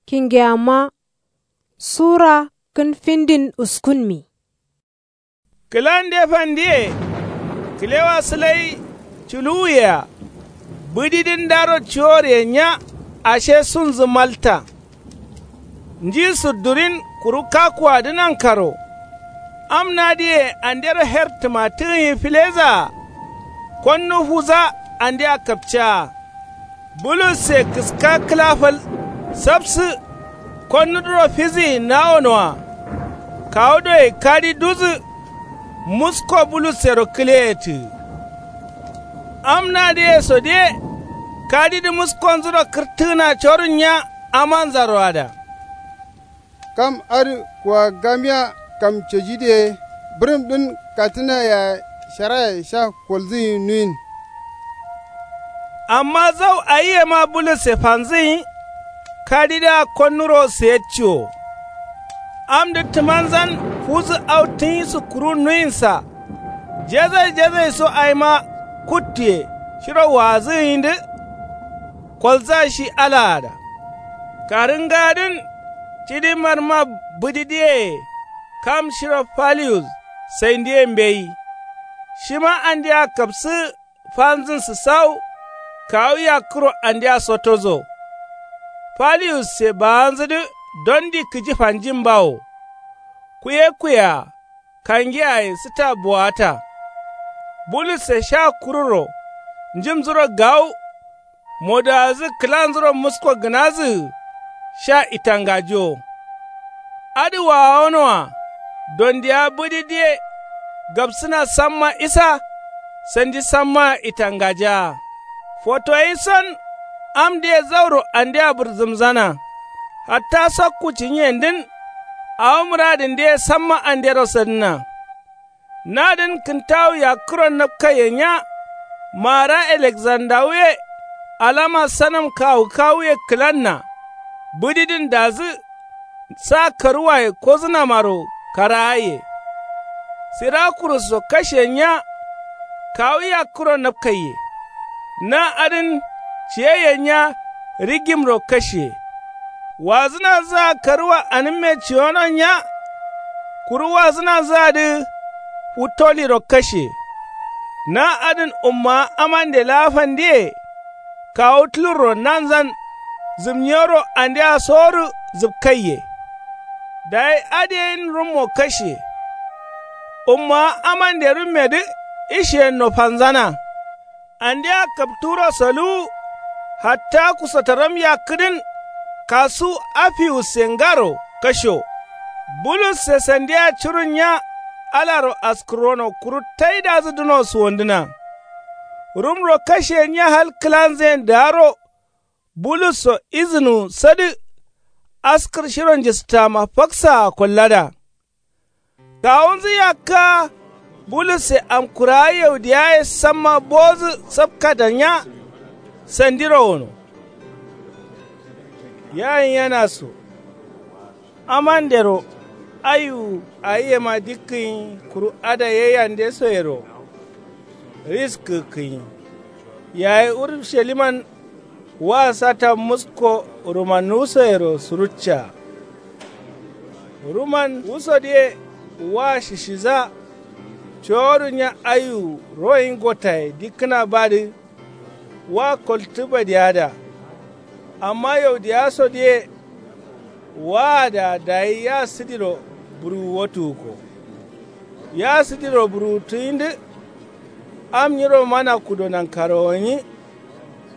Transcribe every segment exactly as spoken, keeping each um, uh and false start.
Kingeyamma sura kǝn findin uskunmi. Kǝlande fandiye kǝlewa sǝlai culuwuyea. Bǝdidǝn daro cuwor yenya ashe sunzǝ malta. Nji sǝddurin kuru kakuwadǝ nankaro. Am nadǝye andero her tǝmatǝgǝnyi filezaa. Konnu fuza andea kapcaa. Bulusse kǝska kǝla fal sapsǝ. Konnudǝro fizǝyi nawonoa. Kawu doi kadi duzǝ. Musko bulussero kǝleyetǝgǝ. Am nadǝye sodiye kadidǝ muskonzuro kǝrtǝgǝna corunnya. Amanzaroada. Kam adǝ kuwagamiya kam cejidǝye bǝrǝmdǝn kattǝna yaye sharaye sha kolzǝnyi nuyin. Amma zau ayiyema bulusse fanzǝnyi. Kadidǝa konnuro sǝyetciwo. Amdǝ tǝmanzan fuzǝ au tǝnyi sǝkkuru nuyinsa. Jezai jezai so aima kuttuye shiro waazǝgǝnyidǝ. Kolza shi alaada. Karǝngadǝn cidimarma bǝdidǝyeye kam shiro faliyus saindiye mbeyi. Shima andea kapsǝ fanzǝn sǝsau. Kawu yakkuro andea sotozo. Faliyusse baanzǝdǝ dondi kǝji fanjin bawo. Kuye kuya kangiyaye sǝta bowata. Bulusse sha kururo njǝmzuro gawu. Modawadǝ kǝlanzuro musko gǝnadǝgǝ sha itangajiwo. Adǝ wawonoa dondiya bǝdidǝye gapsǝna samma isa. Sandi sammaa itangajaa fotoyison. Amdǝye zauro andea bǝrzǝmzana. Hatta sokku cinyendǝn. Awo mǝradǝndǝye samma andero sadǝna. Nadǝn kǝntawu yakkuro napkaiye nya. Maara alekzandawuye alama sanam kawu kawuye kǝlanna. Bǝdidǝn dazǝ sa karuwaye kozǝnamaro karaaye. Sirakurusso kashe nya. Kawu yakkuro napkaiye. Na adǝn ciyaiye nya. Rigimro kashe. Wazǝnanzǝa karuwa anǝmme ciyono nya. Kuru wazǝnanzǝadǝ futtoliro kashe. Na adǝn ummawa amande laa fandiye. Kawu tulurro nanzan zǝmnyiyoro andea sowodǝ zǝpkaiye. Dayi adǝ yen rummo kashe. Ummawa amande rummedǝ ishiyenno fanzana. Andea kapturo soluwu. Hatta kusotaram yakkǝdǝn kasu afiwusse ngaro kasho. Bulusse sandia curun nya. Alaro askǝrono kuru taidazǝ duno suwondǝna. Rumro kashe nya hal kǝlanzǝyen daaro. Bulusso izǝnuwu sadǝ. Askǝr shiro njǝstama faksaa kollada. Kawunzǝ yakka. Bulusse amkurawa yaudiyaye samma bowodǝ sapkada nya. Sandiro wono. Yayin yanaso amandero ayu. Ayiyema dikkǝnyi kuru ada yaiyande soyero. Ris kǝkkǝnyi yayi urusaliman. Wa sata musko rumannuwu soyero suruccaa. Ruman wusodǝye wa shishiza. Cowodu nya ayu royin gottaye dikkǝna badǝ. Wa koltǝ badiyada. Amma yaudiyasodǝye waada dayi ya sǝdiro buruwu wotuwukko. Ya sǝdiro buruwuttǝyindǝ. Am nyiro mana kudo nankaro gǝnyi.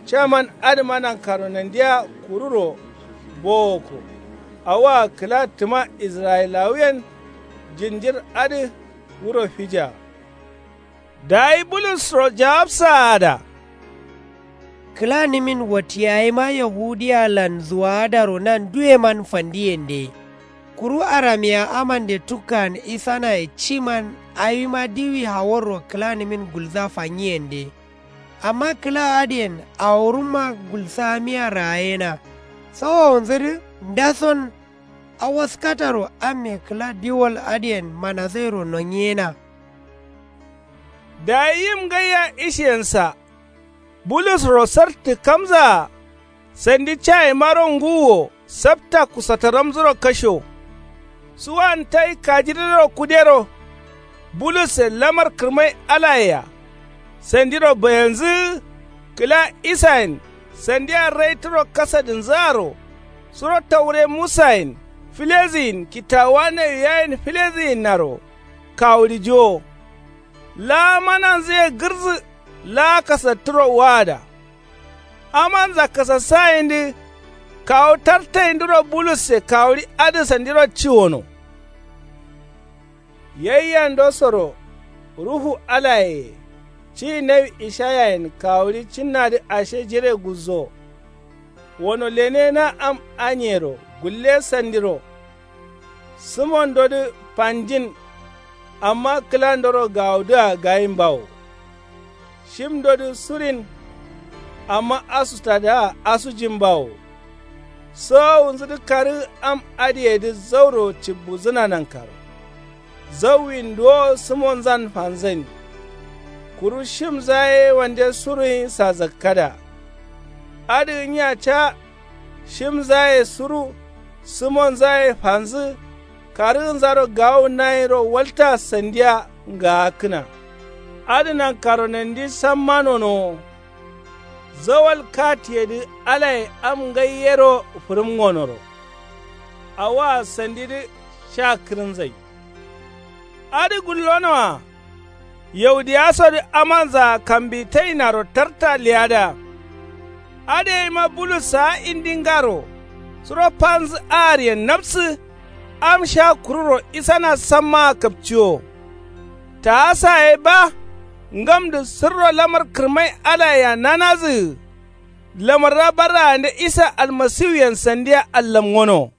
Caman adǝma nankaro nandiya kururo bowokko. Awoa kǝla tǝma israyilawuyen jinjir adǝ wuro fija. Dayi bulusro jawabsaada. Kǝlanǝmin wattiyayima yahudiyalan zuwaadaro nanduweman fandiyende. Kuru aramiya amande tukkan isanaye ciman awima diwi haworro kǝlanǝmin gulza fanyiyende. Amma kǝla adǝyen awurumma gulsamiya raayena. Sawowunzǝdǝ ndason. Awaskataro amme kǝla diwol adǝyen manazairo nonyiyena. Dayi yim ngaiya ishiyensa. Bulusro sartǝ kamzaa. Sandi cayimaro ngǝwuwo. Sapta kusataramzuro kasho. Suwan tai kajidǝro kudero. Bulusse lamar kǝrmai alayea. Sandiro bayanzǝ. Kǝla isayen sandiya raitǝro kasadǝnzǝaro. Suro taure musayen fileziyin kitawa nawiyayen fileziyinnaro. Kawulijiwo. Laa mananzǝye gǝrzǝ. Laa kasattǝro waada. Amanza kasassayindǝ. Kawu tartayindǝro bulusse kawuri adǝ sandiro ciwono. Yaiyandosoro ruhu alayeye. Ciyi nawi ishayayen kawuri cinnadǝ ashe jire guzzo. Wono lene na am anyero gulle sandiro. Sǝmondodǝ fanjin. Amma kǝlandoro gawudǝa gayimbawo. Shimdodǝ surin. Amma asutadǝa asujimbawo. Sowowunzudǝ karǝ am adǝyedǝ zauro cibbuzǝna nankaro. Zauwin duwo sǝmonzan fanzain. Kuru shimza ye wande suruyin sazakkada. Adǝ nyiya ca. Shimzaye suru sǝmonzaye fanzǝ. Karǝgǝnzaro gawu nayiro walta sandiya. Ngaakkǝna adǝ nankaro nandi samma nonowo. Zawal katiyedǝ alaye am ngai yero fǝrǝm ngonoro. Awoa sandidǝ sha kǝrǝnzai. Adǝ gullonoa. Yaudiyasodǝ amanzaa kambitainaro tarta leyada. Adǝ yaima bulus saa indingaro. Suro fanzǝ ahariyen napsǝ. Am sha kururo isana sammaa kapciwo. Taasa ye ba. Ngamdǝ sǝrro lamar kǝrmai alayea nanazǝgǝ. Lamarra barraande isa almasiwuyen sandiya allamngono.